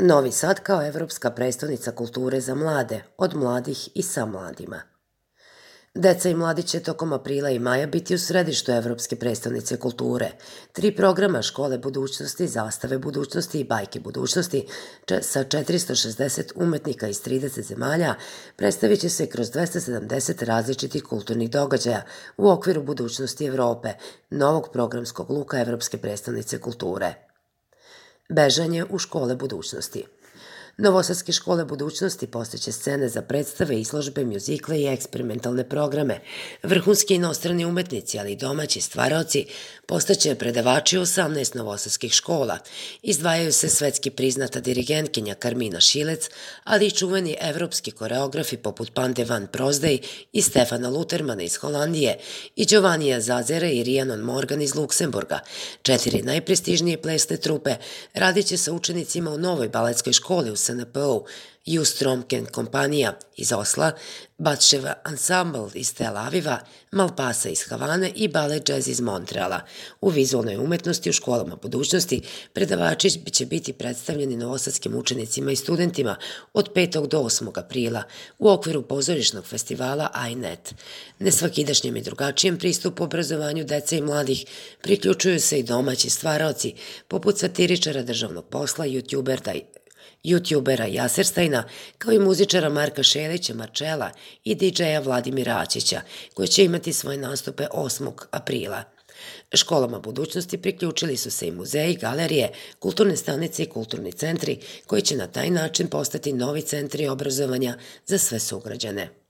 Novi Sad kao evropska prestonica kulture za mlade, od mladih i sa mladima. Deca i mladi će tokom aprila i maja biti u središtu Evropske prestonice kulture. 3 programa Škole budućnosti, Zastave budućnosti i Bajke budućnosti sa 460 umetnika iz 30 zemalja predstavit će se kroz 270 različitih kulturnih događaja u okviru budućnosti Evrope, novog programskog luka Evropske prestonice kulture. Bežanje u škole budućnosti. Novosadske škole budućnosti postaće scene za predstave, izložbe, mjuzikle i eksperimentalne programe. Vrhunski inostrani umetnici, ali i domaći stvaraoci, postaće predavači u 18 novosadskih škola. Izdvajaju se svetski priznata dirigentkinja Karmina Šilec, ali i čuveni evropski koreografi poput Pande van Prozdej i Stefana Lutermana iz Holandije i Giovannija Zazera i Rhiannon Morgan iz Luksemburga. 4 najprestižnije plesne trupe radit će sa učenicima u novoj baletskoj školi u SNP-u, Justromken kompanija iz Osla, Batševa ansambl iz Tel Aviva, Malpasa iz Havane i Balet Jazz iz Montreala. U vizualnoj umetnosti u školama budućnosti predavači će biti predstavljeni novosadskim učenicima i studentima od 5. do 8. aprila u okviru pozorišnog festivala iNet. Nesvakidašnjem i drugačijem pristupu obrazovanju dece i mladih priključuju se i domaći stvaraoci, poput satiričara državnog posla, youtubera Jaserstajna, kao i muzičara Marka Šelića, Marčela i DJ-a Vladimira Aćića, koji će imati svoje nastupe 8. aprila. Školama budućnosti priključili su se i muzeji, galerije, kulturne stanice i kulturni centri, koji će na taj način postati novi centri obrazovanja za sve sugrađane.